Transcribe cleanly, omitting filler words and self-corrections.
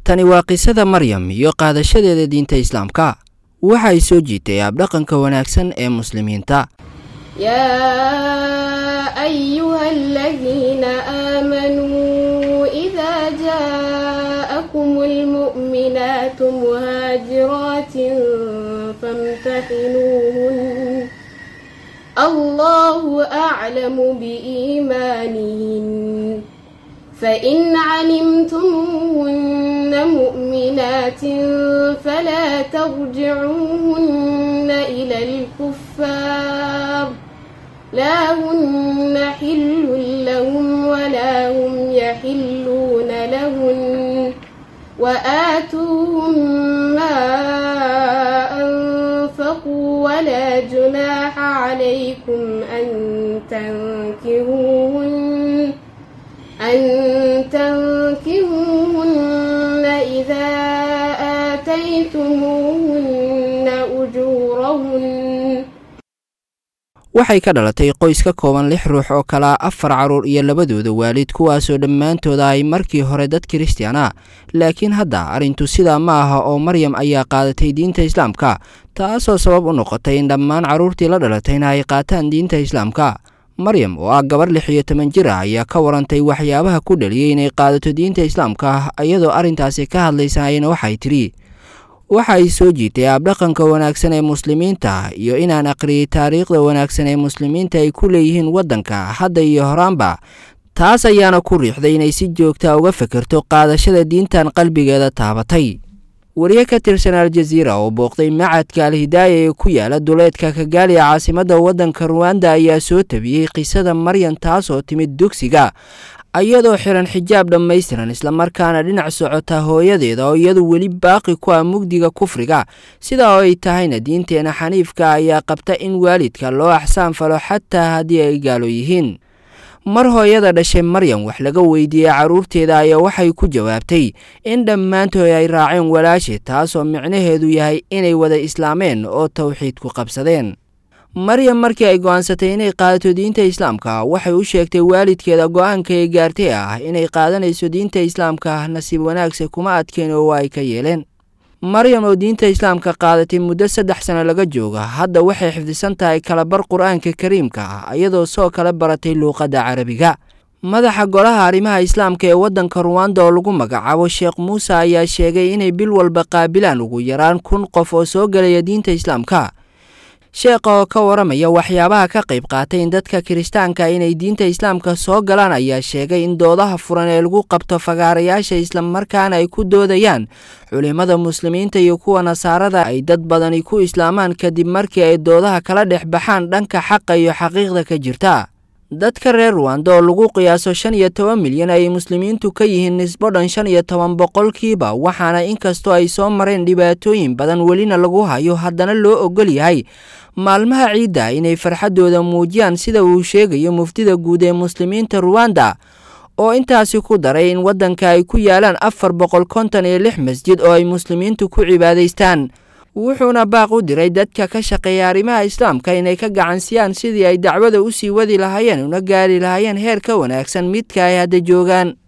Tani waa qisada Maryam iyo qaadashadeeda diinta Islaamka. Waxay soo jiitay abdhaqanka wanaagsan ee Muslimiinta. يا أيها الذين آمنوا إذا جاءكم المؤمنات مهاجرات فامتحنوهن، الله أعلم بإيمانهن، فإن علمتموهن مؤمنات فلا ترجعوهن إلى الكفار، لا هن حل لهم ولا هم يحلون لهن، وآتوهم ما أنفقوا، ولا جناح عليكم أن تنكهوهن إذا آتيتموهن أجورهن. Waxay ka dhalatay qoys ka kooban lix ruux oo kalaa afar carruur iyo labadooda waalid, kuwaasoo dhammaantooda ay markii hore dad Kiristiyaan ah. Laakiin hadda arrintu sidaa ma aha oo Maryam ayaa qaadatay diinta Islaamka, taasoo sabab u noqotay in dhammaan carruurtii la dhalatayna ay qaataan diinta Islaamka. Maryam oo ah gabar 16 jir ah ayaa ka warantay waxyaabaha ku dhaliyey inay qaadato diinta Islaamka. Iyadoo arrintaasi ka hadlaysa ayna waxay tidhi: "Waxa ay soo jiitay abdhaqanka wanaagsan ee Muslimiinta iyo inaan aqriyey taariikhda wanaagsan ee Muslimiinta ay ku leeyihiin waddanka hadda iyo horaanba. Taas ayaana ku riixday inay si joogta uga fekerto qaadashada diintan qalbigeeda taabatay." Wariye ka tirsan Aljaziira oo booqday macadka Alhidaaya ee ku yaala duleedka Kagaali, caasimadda waddanka Ruwanda, ayaa soo tabiyey qisada Maryam, taasoo timid dugsiga iyadoo xiran xijaab dhammaystiran, islamarkaana dhinac socota hooyadeeda oo iyadu weli baaqi ku ah mugdiga kufriga. Sidaa oo ay tahayna, diinteena xaniifka ayaa qabta in waalidka loo axsaan falo xataa haddii ay gaalo yihiin. Mar hooyada dhashay Maryam wax laga weydiiyey carruurteeda ayaa waxay ku jawaabtay in dhammaantood ay raaceen walaashe, taasoo micnaheedu yahay inay wada islaameen oo towxiidku qabsadeen. Maryam markii ay go'aansatay inay qaadato diinta Islaamka, waxay u sheegtay waalidkeeda go'aanka ay gaartay ah inay qaadanayso diinta Islaamka. Nasiib wanaagse kuma adkeen oo ay ka yeeleen. Maryam oo diinta Islaamka qaadatay muddo 3 sano laga jooga, hadda waxay xifdisan tahay kalabar Qur-aanka Kariimka ah, iyadoo soo kala baratay luuqadda Carabiga. Madaxa golaha arrimaha Islaamka ee waddanka Ruwanda oo lagu magacaabo Sheekh Muuse ayaa sheegay inay bil walba qaabilaan ugu yaraan 1000 qof oo soo gelaya diinta Islaamka. Sheekha oo ka waramaya waxyaabaha ka qayb qaatay in dadka Kiristaanka inay diinta Islaamka soo galaan ayaa sheegay in doodaha furan ee lagu qabto fagaarayaasha, islamarkaana ay ku doodayaan culimada Muslimiinta iyo kuwa Nasaarada, ay dad badani ku islaamaan kadib markii ay doodaha kala dhex baxaan dhanka xaqa iyo xaqiiqda ka jirta. Dadka reer Ruwanda oo lagu qiyaaso 15 milyan ay Muslimiintu ka yihiin nisbo dhan 15%, waxaana inkastoo ay soo mareen dhibaatooyin badan welina lagu hayo, haddana loo ogol yahay maalmaha ciidda inay farxaddooda muujiyaan, sida uu sheegayo muftida guud ee Muslimiinta Ruwanda, oo intaasi ku daray in waddanka ay ku yaalaan 456 masjid oo ay Muslimiintu ku cibaadaystaan. Wuxuuna baaq u diray dadka ka shaqeeya arrimaha Islaamka inay ka gacansiyaan sidii ay dacwada usii wadi lahaayeen una gaari lahaayeen heer ka wanaagsan midka ay hadda joogaan.